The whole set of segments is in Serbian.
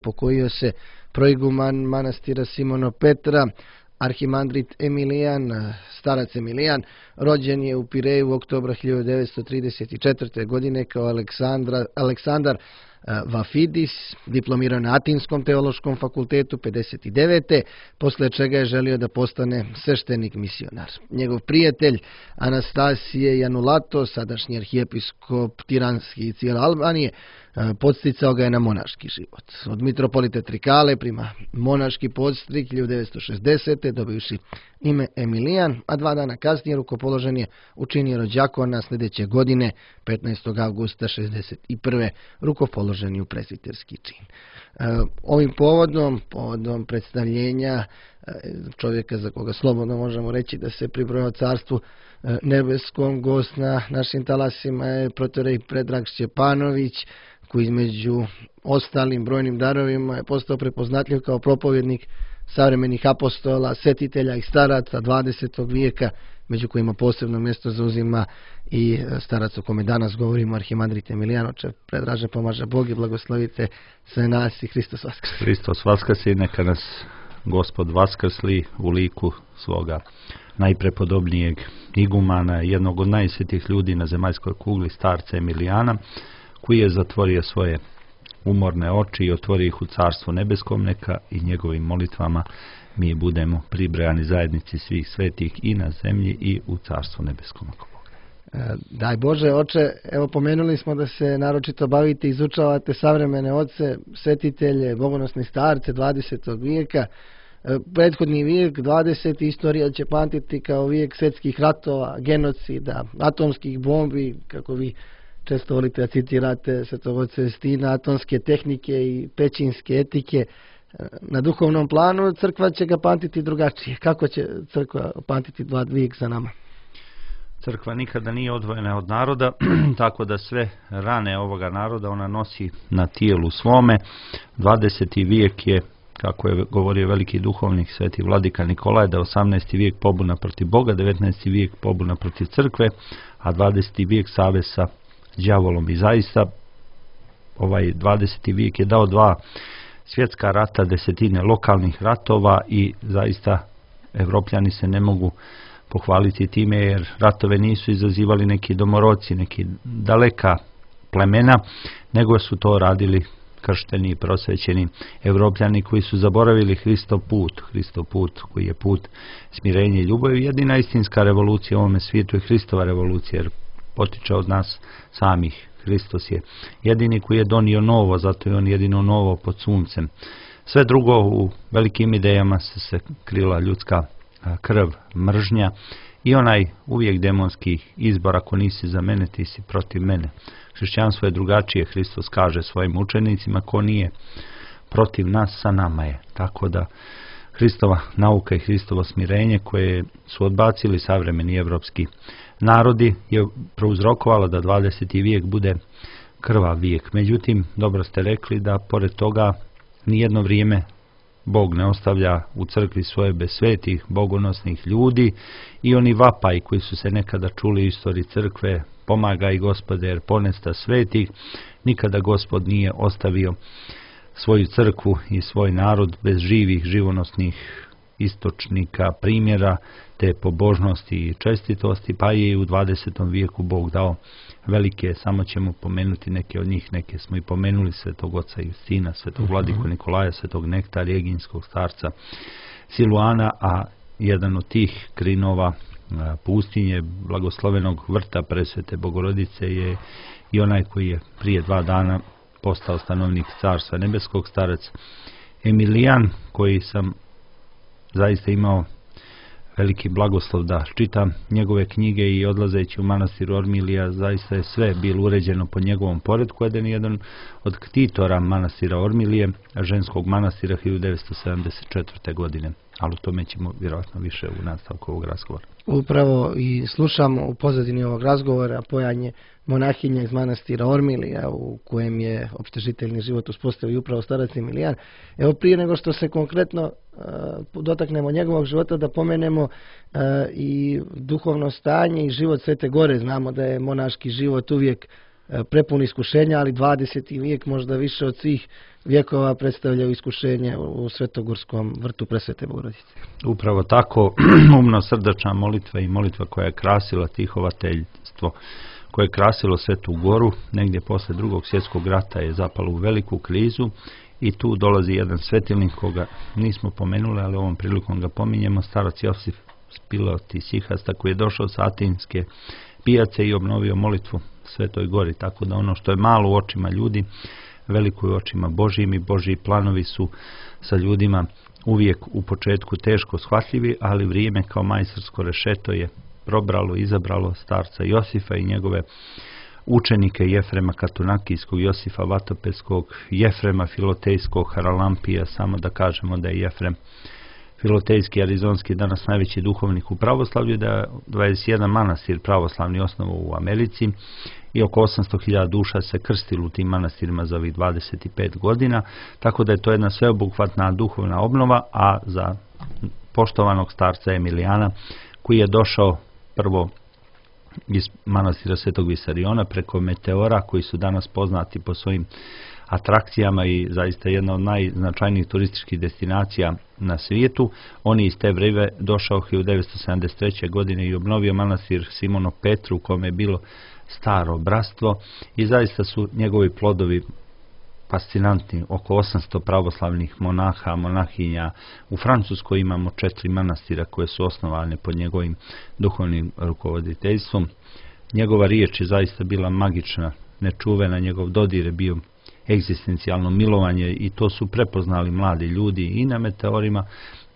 Pokojio se proiguman manastira Simono Petra, arhimandrit Emilijan, starac Emilijan, rođen je u Pireju u oktobra 1934. godine kao Aleksandar Vafidis, diplomirao na Atinskom teološkom fakultetu 59. posle čega je želio da postane sveštenik misionar. Njegov prijatelj Anastasije Janulato, sadašnji arhijepiskop Tiranski i cijele Albanije, podsticao ga je na monaški život. Od mitropolita Trikale prima monaški podstrik 1960. dobijuši ime Emilijan, a 2 dana kasnije rukopoložen je učinio rođakona sljedeće godine, 15. avgusta 61. rukopoložen je u presviterski čin. Ovim povodom predstavljenja čovjeka za koga slobodno možemo reći da se pribrojao carstvu nebeskom, gost na našim talasima je protorej Predrag Šćepanović, koji između ostalim brojnim darovima je postao prepoznatljiv kao propovjednik savremenih apostola, svetitelja i staraca 20. vijeka, među kojima posebno mjesto zauzima i starac o kome danas govorimo, arhimandrit Emilijan. Oče Predraže, pomaže Bog i blagoslovite sve nas i Hristos vaskrsi. Hristos vaskrsi, neka nas Gospod vaskrsli u liku svoga najprepodobnijeg igumana, jednog od najsvetih ljudi na zemaljskoj kugli, starca Emilijana, koji je zatvorio svoje umorne oči i otvorio ih u Carstvu nebeskom. Neka i njegovim molitvama mi budemo pribrojani zajednici svih svetih i na zemlji i u Carstvu nebeskom. Daj Bože, oče, evo pomenuli smo da se naročito bavite, izučavate savremene oce, svetitelje, bogonosne starce 20. vijeka. Prethodni vijek, 20. istorija će pamtiti kao vijek svjetskih ratova, genocida, atomskih bombi, kako vi često volite da citirate svetog oca Justina, atomske tehnike i pećinske etike. Na duhovnom planu crkva će ga pamtiti drugačije. Kako će crkva pamtiti vijek za nama? Crkva nikada nije odvojena od naroda, tako da sve rane ovoga naroda ona nosi na tijelu svome. 20. vijek je, kako je govorio veliki duhovnik sveti vladika Nikolaj, da 18. vijek pobuna protiv Boga, 19. vijek pobuna protiv crkve, a 20. vijek savez sa đavolom. I zaista ovaj 20. vijek je dao 2 svjetska rata, 10 lokalnih ratova i zaista Evropljani se ne mogu pohvaliti time, jer ratove nisu izazivali neki domoroci, neki daleka plemena, nego su to radili kršteni i prosvećeni Evropljani koji su zaboravili Hristov put koji je put smirenja i ljubavi. Jedina istinska revolucija u ovome svijetu je Hristova revolucija, jer potiče od nas samih. Hristos je jedini koji je donio novo, zato je on jedino novo pod suncem. Sve drugo u velikim idejama se krila ljudska krv, mržnja i onaj uvijek demonski izbor: ako nisi za mene, ti si protiv mene. Hrišćanstvo je drugačije. Hristos kaže svojim učenicima: ko nije protiv nas, sa nama je. Tako da Hristova nauka i Hristovo smirenje, koje su odbacili savremeni evropski narodi, je prouzrokovalo da 20. vijek bude krvav vijek. Međutim, dobro ste rekli da pored toga nijedno vrijeme Bog ne ostavlja u crkvi svoje bez svetih, bogonosnih ljudi, i oni vapaji koji su se nekada čuli u istoriji crkve: pomagaj Gospode jer ponesta svetih. Nikada Gospod nije ostavio svoju crkvu i svoj narod bez živih, živonosnih istočnika, primjera te pobožnosti i čestitosti, pa je i u 20. vijeku Bog dao velike, samo ćemo pomenuti neke od njih, neke smo i pomenuli: svetog oca Justina, svetog vladiku Nikolaja, svetog Nektarija, eginskog starca Siluana, a jedan od tih krinova pustinje, blagoslovenog vrta presvete Bogorodice, je i onaj koji je prije 2 dana postao stanovnik Carstva nebeskog, starac Emilijan, koji sam zaista imao veliki blagoslov da čitam njegove knjige, i odlazeći u manastir Ormilija zaista je sve bilo uređeno po njegovom poredku. Jedan od ktitora manastira Ormilije, ženskog manastira, 1974. godine. Ali o tome ćemo vjerojatno više u nastavku ovog razgovora. Upravo i slušamo u pozadini ovog razgovora pojanje monahinja iz manastira Ormilija, u kojem je opštežiteljni život uspostavio upravo starac Emilijan. Evo, prije nego što se konkretno dotaknemo njegovog života, da pomenemo i duhovno stanje i život Svete Gore. Znamo da je monaški život uvijek prepun iskušenja, ali 20. vijek možda više od svih vjekova predstavljaju iskušenje u Svetogorskom vrtu Presvete Bogorodice. Upravo tako, umno srdačna molitva i molitva koja je krasila tihovateljstvo, koje je krasilo Svetu Goru, negdje posle Drugog svjetskog rata je zapalo u veliku krizu i tu dolazi jedan svetilnik koga nismo pomenuli, ali ovom prilikom ga pominjemo, starac Josif Spilot iz Sihasta, koji je došao sa Atinske pijace i obnovio molitvu Svetoj Gori, tako da ono što je malo u očima ljudi, veliko je u očima Božijim i Božiji planovi su sa ljudima uvijek u početku teško shvatljivi, ali vrijeme kao majstorsko rešeto je probralo, izabralo starca Josifa i njegove učenike Jefrema Katunakijskog, Josifa Vatopeskog, Jefrema Filotejskog, Haralampija, samo da kažemo da je Jefrem Filotejski arizonski danas najveći duhovnik u pravoslavlju, da je 21 manastir pravoslavni osnovu u Americi i oko 800.000 duša se krstilo u tim manastirima za ovih 25 godina, tako da je to jedna sveobuhvatna duhovna obnova, a za poštovanog starca Emilijana, koji je došao prvo iz manastira Svetog Visariona preko Meteora, koji su danas poznati po svojim atrakcijama i zaista jedna od najznačajnijih turističkih destinacija na svijetu. On je iz te vreme došao 1973. godine i obnovio manastir Simono Petru, u kome je bilo staro bratstvo i zaista su njegovi plodovi fascinantni, oko 800 pravoslavnih monaha, monahinja. U Francuskoj imamo 4 manastira koje su osnovane pod njegovim duhovnim rukovoditeljstvom. Njegova riječ je zaista bila magična, nečuvena, njegov dodir je bio egzistencijalno milovanje i to su prepoznali mladi ljudi i na Meteorima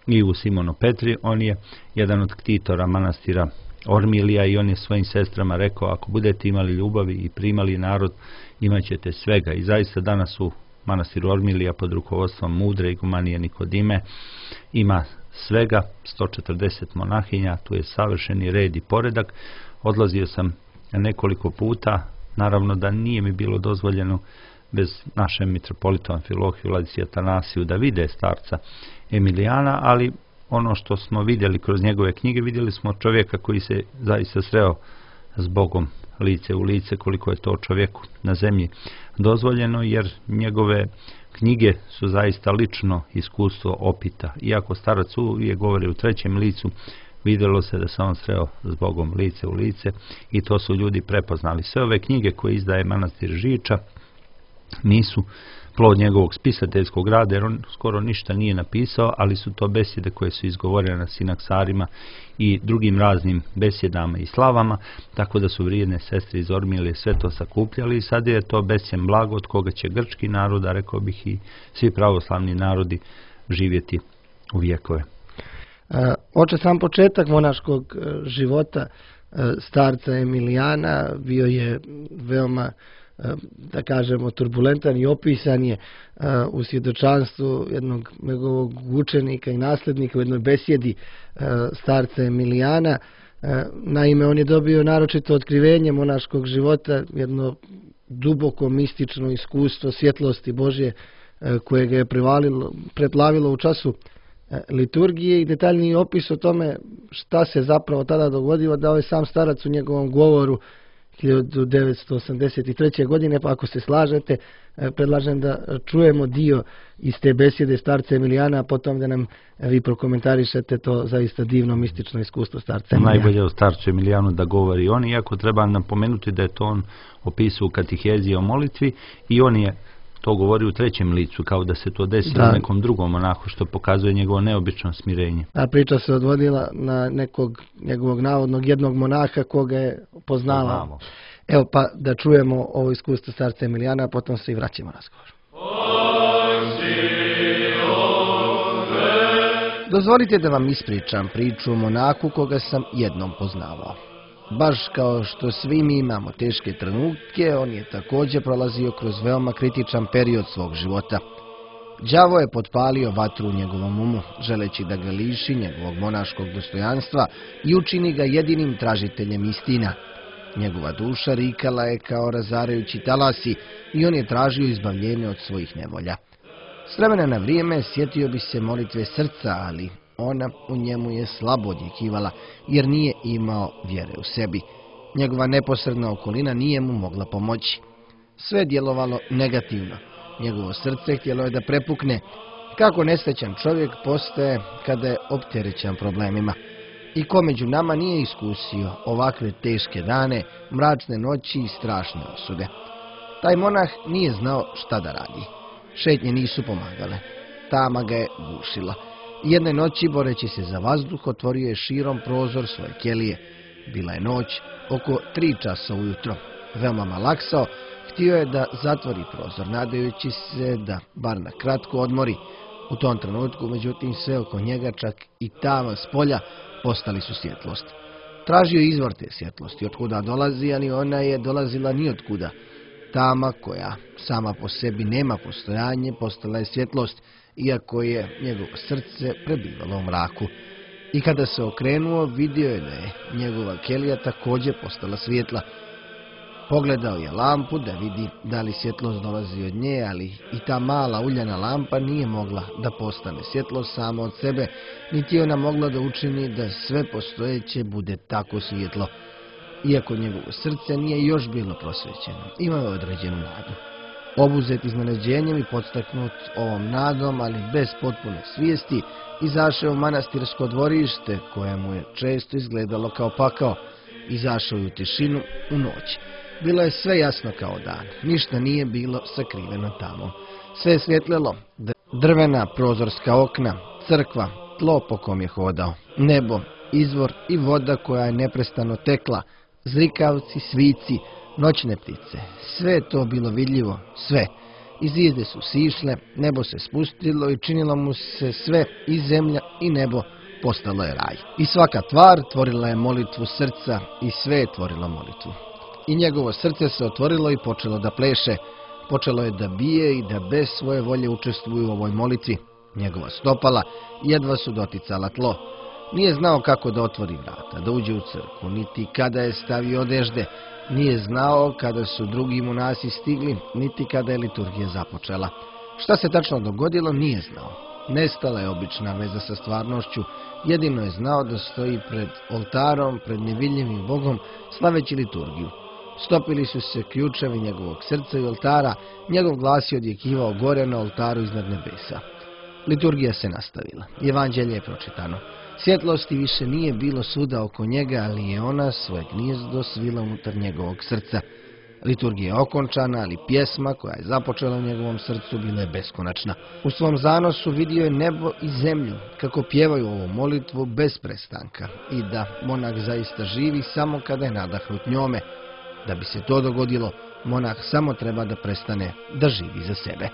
i u Simono Petri. On je jedan od ktitora manastira Ormilija i on je svojim sestrama rekao: ako budete imali ljubavi i primali narod, imat ćete svega. I zaista danas u manastiru Ormilija pod rukovodstvom mudre igumanije Nikodime ima svega 140 monahinja, tu je savršeni red i poredak. Odlazio sam nekoliko puta, naravno da nije mi bilo dozvoljeno bez našem mitropolitu Amfilohiju Vladici Atanasiju da vide starca Emilijana, ali ono što smo vidjeli kroz njegove knjige, vidjeli smo čovjeka koji se zaista sreo s Bogom lice u lice, koliko je to čovjeku na zemlji dozvoljeno, jer njegove knjige su zaista lično iskustvo opita. Iako starac uvijek govori u trećem licu, vidjelo se da se on sreo s Bogom lice u lice i to su ljudi prepoznali. Sve ove knjige koje izdaje manastir Žiča nisu plod njegovog spisateljskog rada, jer on skoro ništa nije napisao, ali su to besjede koje su izgovorene na sinaksarima i drugim raznim besjedama i slavama, tako da su vrijedne sestre iz Ormilije sve to sakupljali i sad je to besjem blago od koga će grčki narod, a rekao bih i svi pravoslavni narodi, živjeti u vjekove. Oče, sam početak monaškog života starca Emilijana bio je veoma, da kažemo, turbulentan i opisan je u svjedočanstvu jednog njegovog učenika i nasljednika u jednoj besjedi starca Emilijana. Naime, on je dobio naročito otkrivenje monaškog života, jedno duboko mistično iskustvo svjetlosti Božje koje ga je preplavilo u času liturgije i detaljniji opis o tome šta se zapravo tada dogodilo dao je sam starac u njegovom govoru 1983. godine, pa ako se slažete, predlažem da čujemo dio iz te besjede starca Emilijana, a potom da nam vi prokomentarišete to zaista divno mistično iskustvo starca Emilijana. Najbolje o starcu Emilijanu da govori on, iako treba napomenuti da je to on opisao u katihezi o molitvi i on je to govori u trećem licu, kao da se to desilo nekom drugom monahu, što pokazuje njegovo neobično smirenje. A priča se odvodila na nekog njegovog navodnog jednog monaha koga je poznavao. Evo pa da čujemo ovo iskustvo starca Emilijana, a potom se i vraćamo razgovor. Dozvolite da vam ispričam priču o monahu koga sam jednom poznavao. Baš kao što svi mi imamo teške trenutke, on je također prolazio kroz veoma kritičan period svog života. Đavo je potpalio vatru u njegovom umu, želeći da ga liši njegovog monaškog dostojanstva i učini ga jedinim tražiteljem istina. Njegova duša rikala je kao razarajući talasi i on je tražio izbavljenje od svojih nevolja. S vremena na vrijeme sjetio bi se molitve srca, ali ona u njemu je slabo odjekivala, jer nije imao vjere u sebi. Njegova neposredna okolina nije mu mogla pomoći. Sve je djelovalo negativno. Njegovo srce htjelo je da prepukne. Kako nesrećan čovjek postaje kada je opterećen problemima. I ko među nama nije iskusio ovakve teške dane, mračne noći i strašne osude. Taj monah nije znao šta da radi. Šetnje nisu pomagale. Tama ga je gušila. Jedne noći, boreći se za vazduh, otvorio je širom prozor svoje kelije. Bila je noć, oko 3 časa ujutro. Veoma malaksao, htio je da zatvori prozor, nadajući se da bar na kratko odmori. U tom trenutku, međutim, sve oko njega, čak i tama s polja, postali su svjetlost. Tražio je izvor te svjetlosti, otkuda dolazi, ali ona je dolazila nijotkuda. Tama koja sama po sebi nema postojanje, postala je svjetlost, iako je njegovo srce prebivalo u mraku. I kada se okrenuo, vidio je da je njegova kelija također postala svjetla. Pogledao je lampu da vidi da li svjetlost dolazi od nje, ali i ta mala uljana lampa nije mogla da postane svjetlost sama od sebe, niti je ona mogla da učini da sve postojeće bude tako svjetlo. Iako njegovo srce nije još bilo prosvećeno, imao je određenu nadu. Obuzet iznenađenjem i podstaknut ovom nadom, ali bez potpune svijesti, izašao u manastirsko dvorište, koje mu je često izgledalo kao pakao. Izašao je u tišinu, u noć. Bilo je sve jasno kao dan, ništa nije bilo sakriveno tamo. Sve je svjetlelo, drvena prozorska okna, crkva, tlo po kom je hodao, nebo, izvor i voda koja je neprestano tekla, zrikavci, svici, noćne ptice. Sve je to bilo vidljivo, sve. I zvijezde su sišle, nebo se spustilo i činilo mu se sve, i zemlja i nebo, postalo je raj. I svaka tvar tvorila je molitvu srca i sve je tvorilo molitvu. I njegovo srce se otvorilo i počelo da pleše. Počelo je da bije i da bez svoje volje učestvuju u ovoj molitvi. Njegova stopala jedva su doticala tlo. Nije znao kako da otvori vrata, da uđe u crkvu, niti kada je stavio odežde. Nije znao kada su drugi monasi stigli, niti kada je liturgija započela. Šta se tačno dogodilo, nije znao. Nestala je obična veza sa stvarnošću, jedino je znao da stoji pred oltarom, pred nevidljivim Bogom, slaveći liturgiju. Stopili su se ključevi njegovog srca i oltara, njegov glas je odjekivao gore na oltaru iznad nebesa. Liturgija se nastavila, evanđelje je pročitano. Svjetlosti više nije bilo svuda oko njega, ali je ona svoje gnijezdo svila unutar njegovog srca. Liturgija je okončana, ali pjesma koja je započela u njegovom srcu bila je beskonačna. U svom zanosu vidio je nebo i zemlju, kako pjevaju ovu molitvu bez prestanka i da monah zaista živi samo kada je nadahnut njome. Da bi se to dogodilo, monah samo treba da prestane da živi za sebe.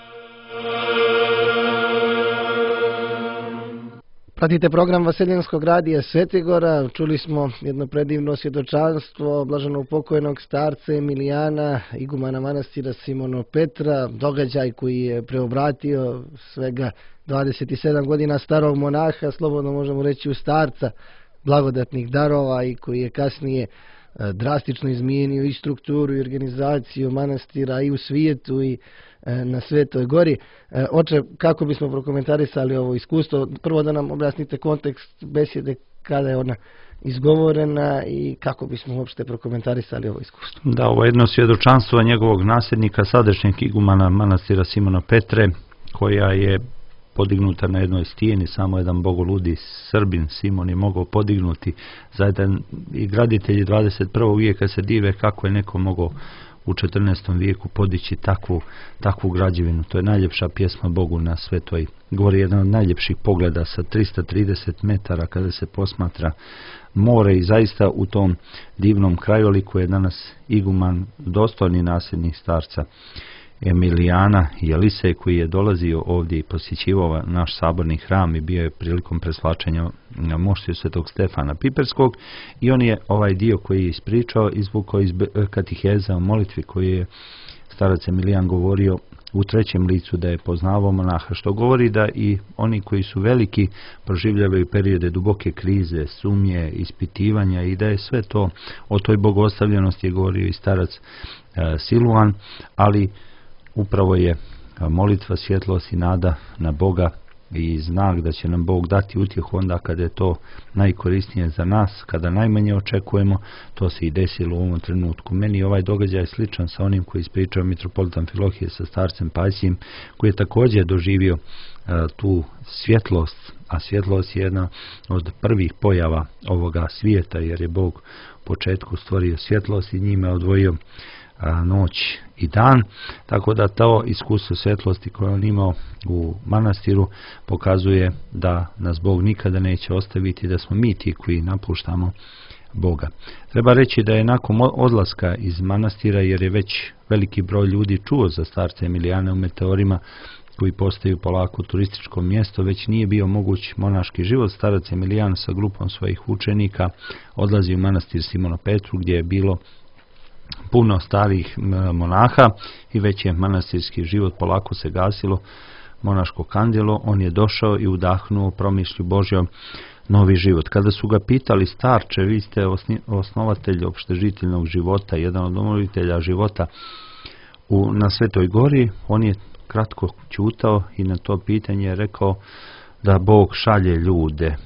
Pratite program Vaseljenskog radija Svetigora. Čuli smo jedno predivno svjedočanstvo blaženog pokojnog starca Emilijana, igumana manastira Simono Petra, događaj koji je preobratio svega 27 godina starog monaha, slobodno možemo reći u starca blagodatnih darova, i koji je kasnije drastično izmijenio i strukturu i organizaciju manastira i u svijetu i na Svetoj gori. Oče, kako bismo prokomentarisali ovo iskustvo? Prvo da nam objasnite kontekst besjede, kada je ona izgovorena i kako bismo uopšte prokomentarisali ovo iskustvo. Da, ovo je jedno svjedočanstvo njegovog nasljednika, sadašnjeg igumana manastira Simona Petre, koja je podignuta na jednoj stijeni, samo jedan bogoludi Srbin Simon je mogao podignuti. Zajedno i graditelji 21. vijeka se dive kako je neko mogao u 14. vijeku podići takvu građevinu. To je najljepša pjesma Bogu na Svetoj gori, jedan od najljepših pogleda sa 330 metara kada se posmatra more, i zaista u tom divnom krajoliku je danas iguman, dostojni nasljednik starca Emilijana Jelisej, koji je dolazio ovdje i posjećivao naš saborni hram i bio je prilikom preslačenja na moštiju Svetog Stefana Piperskog, i on je ovaj dio koji je ispričao izvukao iz katiheza o molitvi koji je starac Emilijan govorio u trećem licu, da je poznavao monaha, što govori da i oni koji su veliki proživljavaju periode duboke krize, sumnje, ispitivanja, i da je sve to o toj bogostavljenosti je govorio i starac Siluan, ali upravo je molitva, svjetlost i nada na Boga i znak da će nam Bog dati utjehu onda kada je to najkorisnije za nas, kada najmanje očekujemo. To se i desilo u ovom trenutku. Meni je ovaj događaj sličan sa onim koji ispričao mitropolit Amfilohije sa starcem Pajsijem, koji je također doživio tu svjetlost, a svjetlost je jedna od prvih pojava ovoga svijeta, jer je Bog u početku stvorio svjetlost i njime odvojio noć i dan, tako da to iskustvo svjetlosti koje on imao u manastiru pokazuje da nas Bog nikada neće ostaviti, da smo mi ti koji napuštamo Boga. Treba reći da je nakon odlaska iz manastira, jer je već veliki broj ljudi čuo za starca Emilijana u Meteorima, koji postaju polako turističko mjesto, već nije bio moguć monaški život. Starac Emilijan sa grupom svojih učenika odlazi u manastir Simona Petru, gdje je bilo puno starih monaha i već je manastirski život polako se gasilo, monaško kandilo. On je došao i udahnuo promišlju Božjom novi život. Kada su ga pitali: starče, vi ste osnovatelj opštežiteljnog života, jedan od obnovitelja života na Svetoj Gori, on je kratko ćutao i na to pitanje je rekao da Bog šalje ljude.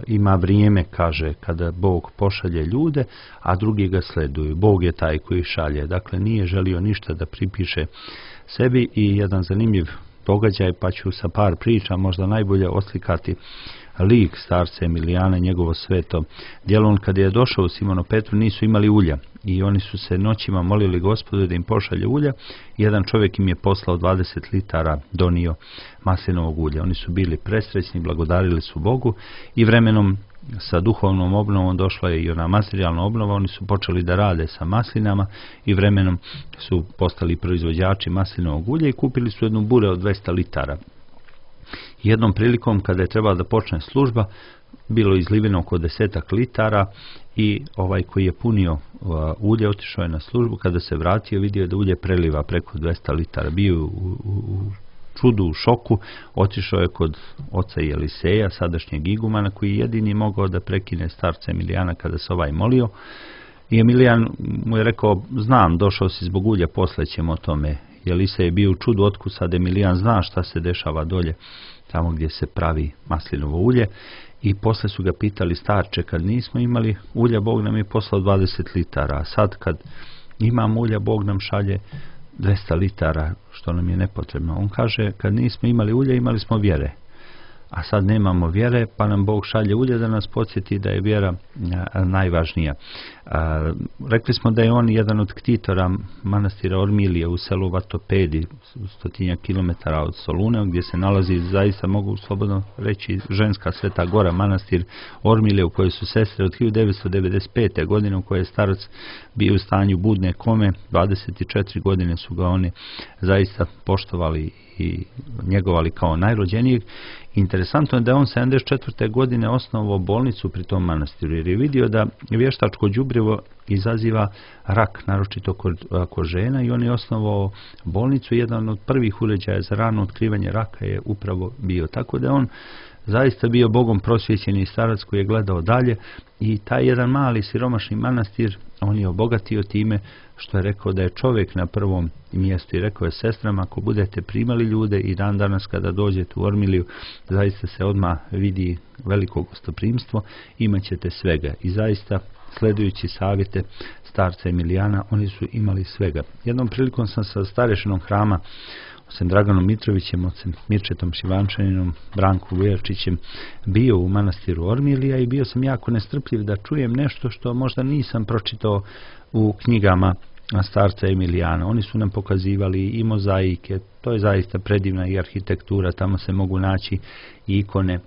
Ima vrijeme, kaže, kada Bog pošalje ljude, a drugi ga sleduju. Bog je taj koji šalje. Dakle, nije želio ništa da pripiše sebi. I jedan zanimljiv događaj, pa ću sa par priča možda najbolje oslikati lik starca Emilijana, njegovo sveto djelo. On kada je došao u Simonu Petru nisu imali ulja i oni su se noćima molili Gospodu da im pošalje ulja. Jedan čovjek im je poslao 20 litara, donio maslinovog ulja. Oni su bili presrećni, blagodarili su Bogu i vremenom sa duhovnom obnovom došla je i ona materijalna obnova. Oni su počeli da rade sa maslinama i vremenom su postali proizvođači maslinovog ulja i kupili su jednu bure od 200 litara. Jednom prilikom kada je trebala da počne služba, bilo izliveno oko 10 litara i ovaj koji je punio ulje otišao je na službu. Kada se vratio, vidio je da ulje preliva preko 200 litara. Bio u čudu, u šoku, otišao je kod oca Eliseja, sadašnjeg igumana, koji je jedini mogao da prekine starca Emilijana kada se ovaj molio. I Emilijan mu je rekao: znam, došao si zbog ulja, posle ćemo o tome. Elisej je bio u čudu, otkud sad Emilijan zna šta se dešava dolje, tamo gdje se pravi maslinovo ulje. I posle su ga pitali: starče, kad nismo imali ulja, Bog nam je poslao 20 litara, a sad kad imamo ulja, Bog nam šalje 200 litara, što nam je nepotrebno. On kaže: kad nismo imali ulja, imali smo vjere, a sad nemamo vjere, pa nam Bog šalje ulje da nas podsjeti da je vjera najvažnija. Rekli smo da je on jedan od ktitora manastira Ormilije u selu Vatopedi, 100 kilometara od Soluna, gdje se nalazi, zaista mogu slobodno reći, ženska Sveta Gora, manastir Ormilije, u kojoj su sestre od 1995. godine, u kojoj je starac bio u stanju budne kome. 24 godine su ga oni zaista poštovali i njegovali kao najrođenijeg. Interesantno je da je on 74. godine osnovao bolnicu pri tom manastiru, jer je vidio da vještačko đubrivo izaziva rak, naročito kod žena, i on je osnovao bolnicu. Jedan od prvih uređaja za rano otkrivanje raka je upravo bio. Tako da je on zaista bio Bogom prosvjećeni starac koji je gledao dalje, i taj jedan mali siromašni manastir on je obogatio time što je rekao da je čovjek na prvom mjestu, i rekao je sestrama: ako budete primali ljude i dan danas kada dođete u Ormiliju, zaista se odmah vidi veliko gostoprimstvo, imat ćete svega. I zaista, sledujući savjete starca Emilijana, oni su imali svega. Jednom prilikom sam sa starešinom hrama, ocem Draganom Mitrovićem, ocem Mirčetom Šivančaninom, Brankom Vujačićem, bio u manastiru Ormilija i bio sam jako nestrpljiv da čujem nešto što možda nisam pročitao u knjigama starca Emilijana. Oni su nam pokazivali i mozaike, to je zaista predivna i arhitektura, tamo se mogu naći i ikone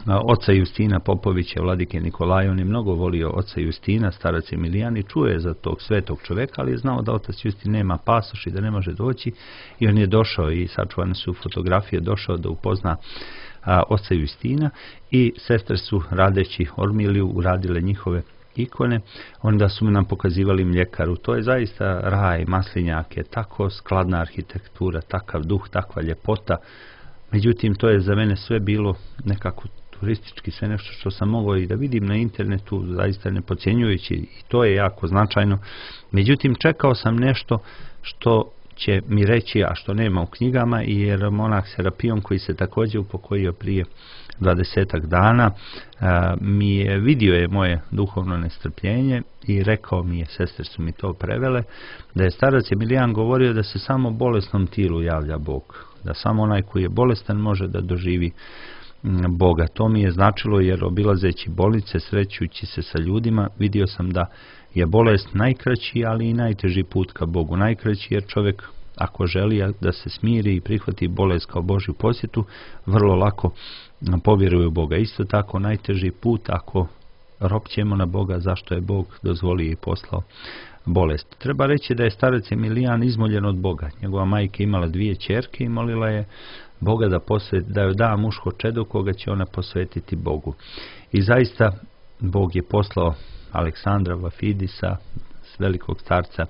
oca Justina Popovića, vladike Nikolaja. On je mnogo volio oca Justina, starac Emilijan, i čuje za tog svetog čovjeka, ali je znao da otac Justin nema pasoš i da ne može doći, i on je došao, i sačuvane su fotografije, došao da upozna oca Justina, i sestre su, radeći Ormiliju, uradile njihove ikone. Onda su nam pokazivali mljekaru. To je zaista raj, maslinjak je tako skladna arhitektura, takav duh, takva ljepota. Međutim, to je za mene sve bilo nekako turistički, sve nešto što sam mogao i da vidim na internetu, zaista ne podcjenjujući, i to je jako značajno. Međutim, čekao sam nešto što će mi reći, a što nema u knjigama, jer monah Serapion koji se također upokojio prije 20 dana, vidio je moje duhovno nestrpljenje i rekao mi je, sestre su mi to prevele, da je starac Emilijan govorio da se samo bolesnom tilu javlja Bog, da samo onaj koji je bolestan može da doživi Boga. To mi je značilo, jer obilazeći bolnice, srećujući se sa ljudima, vidio sam da je bolest najkraći, ali i najteži put ka Bogu. Najkraći jer čovjek, ako želi da se smiri i prihvati bolest kao Božju posjetu, vrlo lako povjeruje u Boga. Isto tako najteži put ako ropćemo na Boga, zašto je Bog dozvolio i poslao bolest. Treba reći da je starac Emilijan izmoljen od Boga. Njegova majka imala 2 ćerke i molila je Boga da joj da muško čedo koga će ona posvetiti Bogu. I zaista Bog je poslao Aleksandra Vafidisa, velikog starca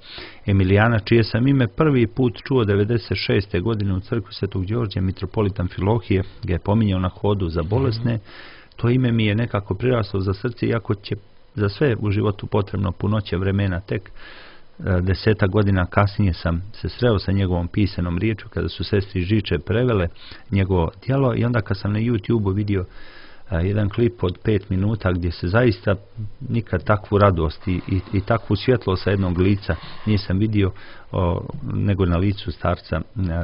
Emilijana, čije sam ime prvi put čuo 96. godine u crkvi Svetog Đorđa. Mitropolitan Filohije ga je pominjao na hodu za bolesne. To ime mi je nekako priraslo za srce, iako će za sve u životu potrebno punoće vremena. Tek 10 godina kasnije sam se sreo sa njegovom pisanom riječu, kada su sestri Žiče prevele njegovo djelo, i onda kad sam na YouTube vidio jedan klip od 5 minuta gdje se zaista nikad takvu radost i takvu svjetlo sa jednog lica nisam vidio nego na licu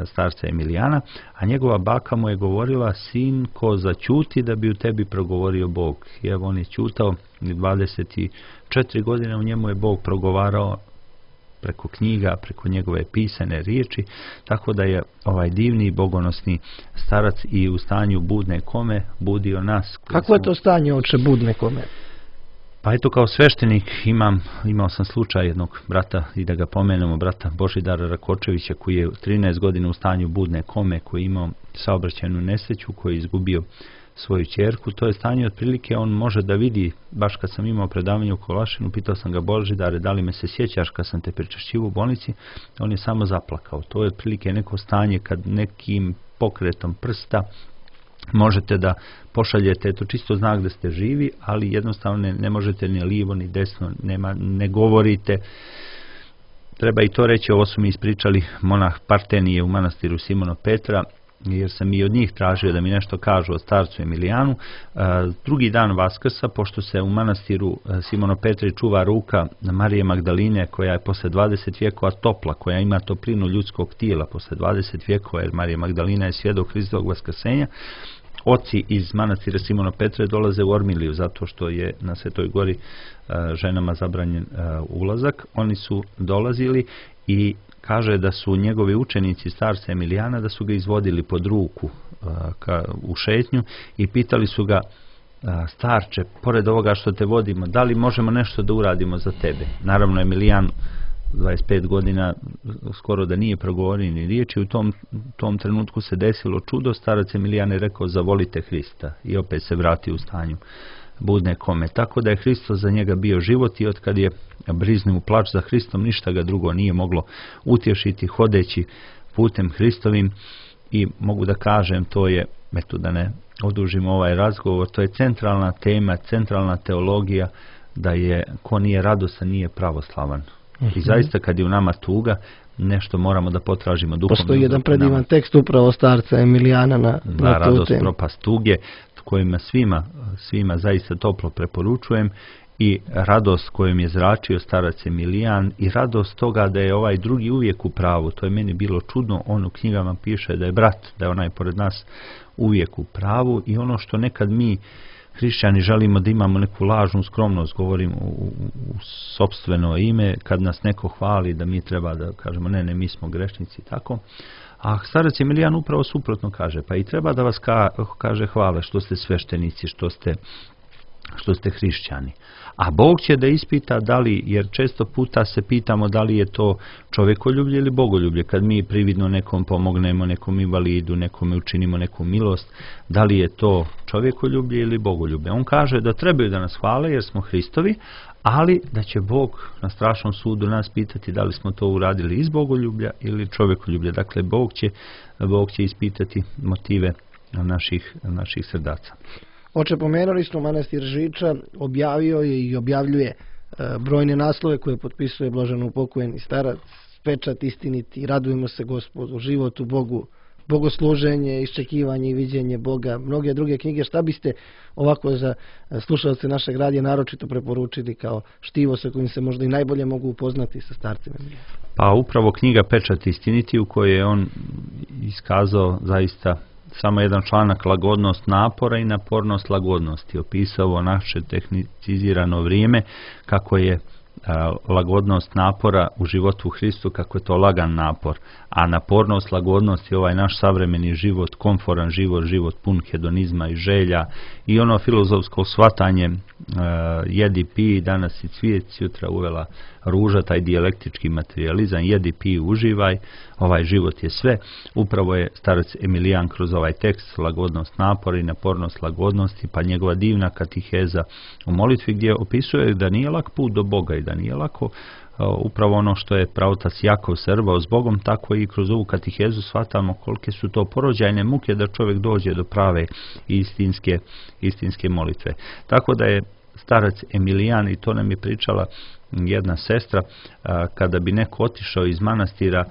starca Emilijana, a njegova baka mu je govorila: sinko, začuti da bi u tebi progovorio Bog. I evo on je ćutao, 24 godine u njemu je Bog progovarao preko knjiga, preko njegove pisane riječi, tako da je ovaj divni bogonosni starac i u stanju budne kome budio nas. Kako je to stanje, oče, budne kome? Pa eto, kao sveštenik imao sam slučaj jednog brata, i da ga pomenemo, brata Božidara Rakočevića, koji je 13 godina u stanju budne kome, koji je imao saobraćajnu nesreću, koji je izgubio svoju ćerku. To je stanje otprilike, on može da vidi, baš kad sam imao predavanje u Kolašinu, pitao sam ga: Božidare, da li me se sjećaš kad sam te pričašćivao u bolnici? On je samo zaplakao. To je otprilike neko stanje kad nekim pokretom prsta možete da pošaljete, to čisto znak da ste živi, ali jednostavno ne možete ni lijevo ni desno, ne govorite. Treba i to reći, ovo su mi ispričali monah Partenije u manastiru Simona Petra, jer sam i od njih tražio da mi nešto kažu o starcu Emilijanu. Drugi dan Vaskrsa, pošto se u manastiru Simona Petri čuva ruka Marije Magdaline, koja je posle 20 vjekova topla, koja ima toplinu ljudskog tijela posle 20 vjekova, jer Marija Magdalina je svjedok Hristovog vaskrsenja, oci iz manastira Simona Petre dolaze u Ormiliju, zato što je na Svetoj gori ženama zabranjen ulazak. Oni su dolazili i kaže da su njegovi učenici starca Emilijana, da su ga izvodili pod ruku u šetnju i pitali su ga: starče, pored ovoga što te vodimo, da li možemo nešto da uradimo za tebe? Naravno, Emilijan 25 godina skoro da nije progovorio ni riječi. U tom trenutku se desilo čudo. Starac Emilijan je rekao: zavolite Hrista, i opet se vratio u stanju budne kome. Tako da je Hristos za njega bio život, i od kad je briznuo plač za Hristom, ništa ga drugo nije moglo utješiti, hodeći putem Hristovim. I mogu da kažem, to je, eto da ne odužimo ovaj razgovor, to je centralna tema, centralna teologija, da je ko nije radostan nije pravoslavan. I zaista kad je u nama tuga, nešto moramo da potražimo duhovno. Postoji jedan predivan tekst upravo starca Emilijana na tu radost, temu. propast tuge, kojima svima zaista toplo preporučujem, i radost kojom je zračio starac Emilijan, i radost toga da je ovaj drugi uvijek u pravu. To je meni bilo čudno. On u knjigama piše da je brat, da je onaj pored nas uvijek u pravu, i ono što nekad mi hrišćani želimo da imamo neku lažnu skromnost, govorim u sopstveno ime, kad nas neko hvali da mi treba da kažemo ne, mi smo grešnici, tako. A starac Emilijan upravo suprotno kaže: pa i treba da vas kaže hvale što ste sveštenici, što ste hrišćani. A Bog će da ispita da li, jer često puta se pitamo da li je to čovjekoljublje ili bogoljublje. Kad mi prividno nekom pomognemo, nekom invalidu, nekome učinimo neku milost, da li je to čovjekoljublje ili bogoljublje. On kaže da trebaju da nas hvale jer smo Hristovi, ali da će Bog na strašnom sudu nas pitati da li smo to uradili iz bogoljublja ili čovjekoljublja. Dakle, Bog će ispitati motive naših srdaca. Oče, pomenuli smo manastir Žiča, objavio je i objavljuje brojne naslove koje potpisuje blaženo upokojeni starac, pečat istiniti, radujemo se Gospodu, život u Bogu, bogosluženje, iščekivanje i viđenje Boga, mnoge druge knjige. Šta biste ovako za slušalce našeg radija naročito preporučili kao štivo sa kojim se možda i najbolje mogu upoznati sa starcem Emilijanom? Pa upravo knjiga Pečat istiniti, u kojoj je on iskazao zaista samo jedan članak, lagodnost napora i napornost lagodnosti. Opisao naše tehnicizirano vrijeme, kako je lagodnost napora u životu u Hristu, kako je to lagan napor, a napornost lagodnost je ovaj naš savremeni život, komforan život, život pun hedonizma i želja i ono filozofsko shvatanje jedi, pi, danas i cvijet, sutra uvela ruža, taj dijalektički materializam, jedi, pi, uživaj, ovaj život je sve. Upravo je starac Emilijan kroz ovaj tekst lagodnost napora i napornost lagodnosti, pa njegova divna katiheza u molitvi gdje opisuje da nije lak put do Boga i da nije lako upravo ono što je pravotac Jakov srbao s Bogom, tako i kroz ovu katehezu shvatamo kolike su to porođajne muke da čovjek dođe do prave istinske molitve. Tako da je starac Emilijan, i to nam je pričala jedna sestra, kada bi neko otišao iz manastira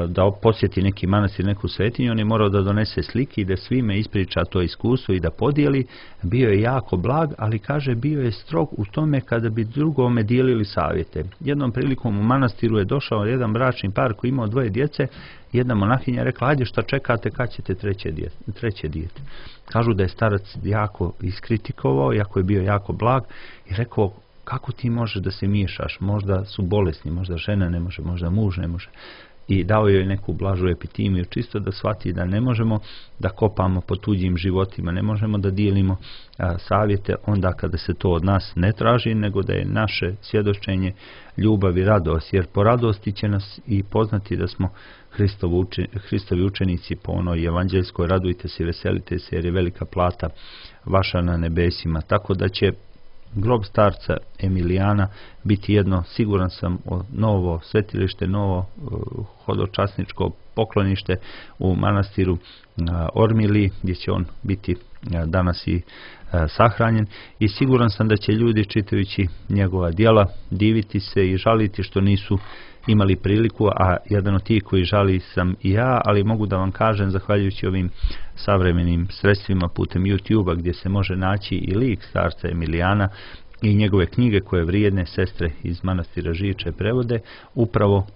da posjeti neki manastir, neku svetinju, on je morao da donese slike i da svime ispriča to iskustvo i da podijeli. Bio je jako blag, ali kaže bio je strog u tome kada bi drugome dijelili savjete. Jednom prilikom u manastiru je došao jedan bračni par koji imao 2 djece. Jedna monahinja rekla, ajde šta čekate, kad ćete treće dijete. Kažu da je starac jako iskritikovao, iako je bio jako blag, i rekao, kako ti možeš da se miješaš, možda su bolesni, možda žena ne može, možda muž ne može. I dao joj neku blažu epitimiju, čisto da shvati da ne možemo da kopamo po tuđim životima, ne možemo da dijelimo savjete onda kada se to od nas ne traži, nego da je naše svjedočenje ljubav i radost, jer po radosti će nas i poznati da smo Hristovi učenici po onoj evanđeljskoj, radujte se i veselite se jer je velika plata vaša na nebesima. Tako da će grob starca Emilijana biti jedno, siguran sam, novo svetilište, novo hodočasničko poklonište u manastiru Ormili, gdje će on biti danas i sahranjen, i siguran sam da će ljudi čitajući njegova djela diviti se i žaliti što nisu imali priliku, a jedan od tih koji žali sam i ja, ali mogu da vam kažem, zahvaljujući ovim savremenim sredstvima putem YouTube-a gdje se može naći i lik starca Emilijana i njegove knjige koje vrijedne sestre iz manastira Žiče prevode, upravo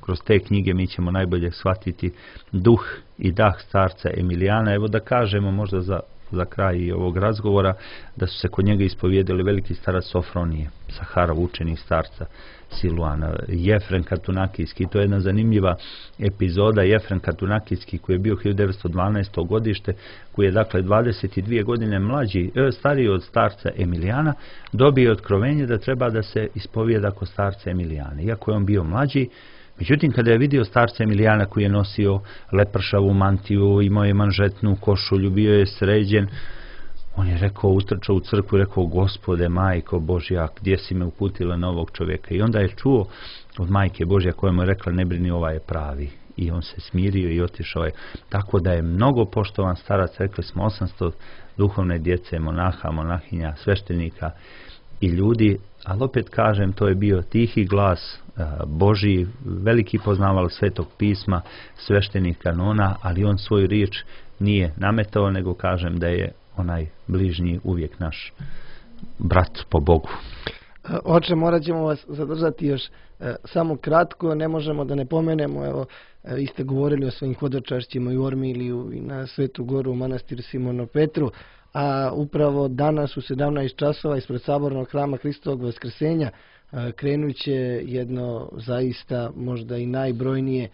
kroz te knjige mi ćemo najbolje shvatiti duh i dah starca Emilijana. Evo da kažemo možda za kraj ovog razgovora da su se kod njega ispovijedili veliki starac Sofronije, Saharov učenik starca Siluana, Jefrem Katunakijski. To je jedna zanimljiva epizoda. Jefrem Katunakijski, koji je bio 1912. godište, koji je dakle 22 godine stariji od starca Emilijana, dobio otkrovenje da treba da se ispovijeda kod starca Emilijana. Iako je on bio mlađi, međutim, kada je vidio starca Emilijana koji je nosio lepršavu mantiju, imao je manžetnu košulju, bio je sređen, on je rekao, utrčao u crkvu i rekao, Gospode, Majko Božja, gdje si me uputila na ovog čovjeka? I onda je čuo od Majke Božja koja mu je rekla, ne brini, ovaj je pravi. I on se smirio i otišao je. Tako da je mnogo poštovan starac, rekli smo 800 duhovne djece, monaha, monahinja, sveštenika i ljudi, ali opet kažem, to je bio tihi glas Božji, veliki poznaval Svetog pisma, sveštenih kanona, ali on svoju riječ nije nametao, nego kažem da je onaj bližnji uvijek naš brat po Bogu. Oče, morat ćemo vas zadržati još samo kratko, ne možemo da ne pomenemo, evo, vi ste govorili o svojim hodočašćima i u Ormiliju i na Svetu Goru u manastir Simono Petru, a upravo danas u 17 časova ispred Sabornog hrama Hristovog Vaskrsenja krenut će jedno zaista možda i najbrojnije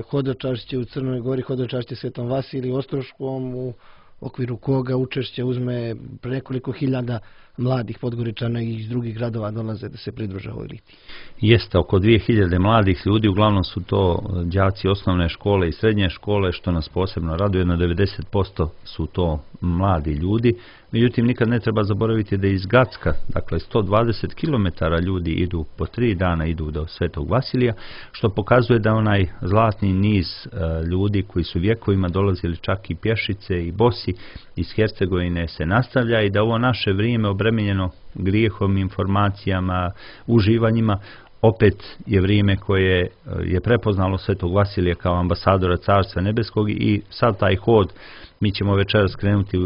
hodočašće u Crnoj Gori, hodočašće Svetom Vasiliju Ostroškom, u okviru koga učešće uzme nekoliko hiljada mladih Podgoričana i iz drugih gradova dolaze da se pridruže ovoj litiji. Jeste, oko 2000 mladih ljudi, uglavnom su to đaci osnovne škole i srednje škole, što nas posebno raduje, na 90% su to mladi ljudi. Međutim, nikad ne treba zaboraviti da iz Gacka, dakle 120 km ljudi idu po 3 dana, idu do Svetog Vasilija, što pokazuje da onaj zlatni niz ljudi koji su vjekovima dolazili čak i pješice i bosi iz Hercegovine se nastavlja i da ovo naše vrijeme obremenjeno grijehom, informacijama, uživanjima, opet je vrijeme koje je prepoznalo Svetog Vasilija kao ambasadora Carstva Nebeskog i sad taj hod mi ćemo večeras krenuti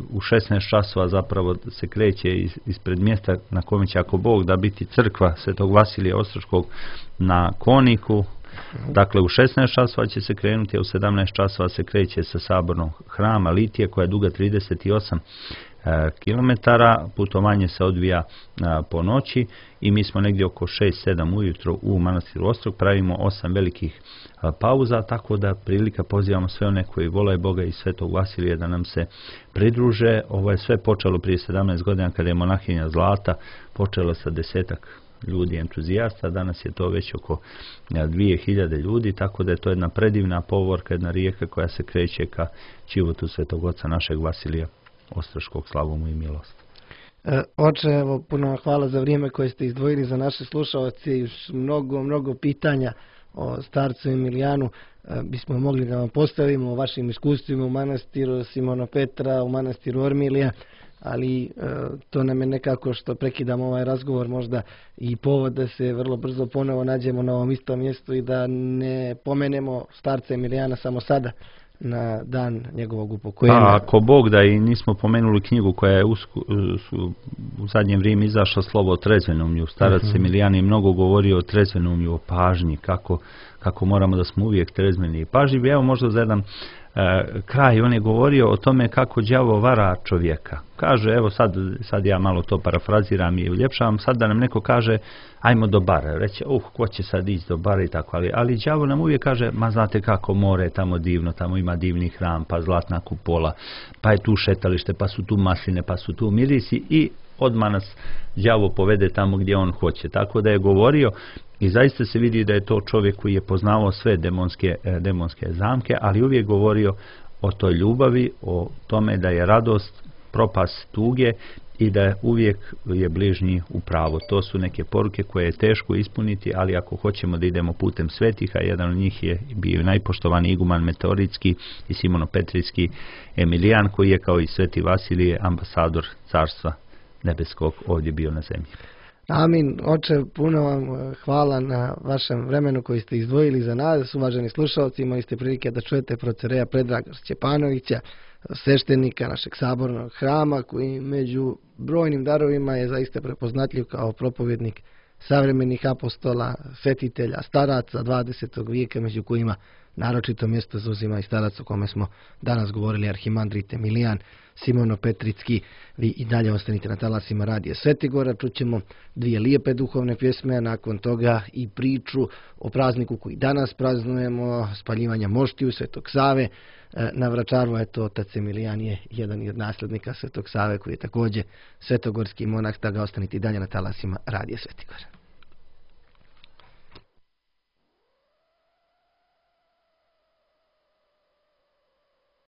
u 16 časova, zapravo se kreće ispred mjesta na kome će, ako Bog da, biti crkva Svetog Vasilija Ostroškog na Koniku. Dakle, u 16 časova će se krenuti, a u 17 časova se kreće sa sabornog hrama Litije koja je duga 38 kilometara. Putovanje se odvija po noći i mi smo negdje oko 6-7 ujutro u manastiru Ostrog, pravimo 8 velikih pauza, tako da prilika pozivamo sve one koji vole Boga i Svetog Vasilija da nam se pridruže. Ovo je sve počelo prije 17 godina kada je monahinja Zlata počela sa 10 ljudi entuzijasta, danas je to već oko 2000 ljudi, tako da je to jedna predivna povorka, jedna rijeka koja se kreće ka životu Svetog Oca našeg Vasilija Ostroškog, slavu mu i milost. Oče, evo, puno vam hvala za vrijeme koje ste izdvojili za naše slušalce i mnogo pitanja o starcu Emilijanu bismo mogli da vam postavimo o vašim iskustvima u manastiru Simona Petra, u manastiru Ormilija, ali to nam je nekako što prekidamo ovaj razgovor možda i povod da se vrlo brzo ponovo nađemo na ovom istom mjestu i da ne pomenemo starca Emilijana samo sada na dan njegovog upokojenja. Ako Bog da, i nismo pomenuli knjigu koja je u zadnje vrijeme izašla, Slovo o trezvenomlju. Starac Emilijan je mnogo govorio o trezvenomlju, o pažnji, kako moramo da smo uvijek trezveni i pažljivi. Evo možda za jedan kraj, on je govorio o tome kako đavo vara čovjeka. Kaže, evo sad ja malo to parafraziram i uljepšavam, sad da nam neko kaže ajmo do bara, reće, ko će sad ići do bara i tako, ali đavo nam uvijek kaže, ma znate kako, more je tamo divno, tamo ima divni hram, pa zlatna kupola, pa je tu šetalište, pa su tu masline, pa su tu mirisi i odmah nas đavo povede tamo gdje on hoće. Tako da je govorio i zaista se vidi da je to čovjek koji je poznavao sve demonske zamke, ali uvijek govorio o toj ljubavi, o tome da je radost propast tuge i da uvijek je bližnji u pravu. To su neke poruke koje je teško ispuniti, ali ako hoćemo da idemo putem svetiha, jedan od njih je bio najpoštovani iguman Meteoritski i Simono-Petrijski Emilijan, koji je kao i Sveti Vasilije ambasador Carstva Nebeskog ovdje bio na zemlji. Amin. Oče, puno vam hvala na vašem vremenu koji ste izdvojili za nas. Uvaženi slušalci, imali ste prilike da čujete procereja Predraga Šćepanovića, sveštenika našeg sabornog hrama, koji među brojnim darovima je zaista prepoznatljiv kao propovjednik savremenih apostola, svetitelja, staraca 20. vijeka, među kojima naročito mjesto zauzima i starac o kome smo danas govorili, arhimandrit Emilijan Simono-Petritski. Vi i dalje ostanite na talasima Radija Svetigora, čućemo dvije lijepe duhovne pjesme, a nakon toga i priču o prazniku koji danas praznujemo, spaljivanja moštiju Svetog Save. Na Vračaru, eto, otac Emilijan je jedan od nasljednika Svetog Save, koji je također svetogorski monah, da ga ostanite i dalje na talasima Radija Svetigora.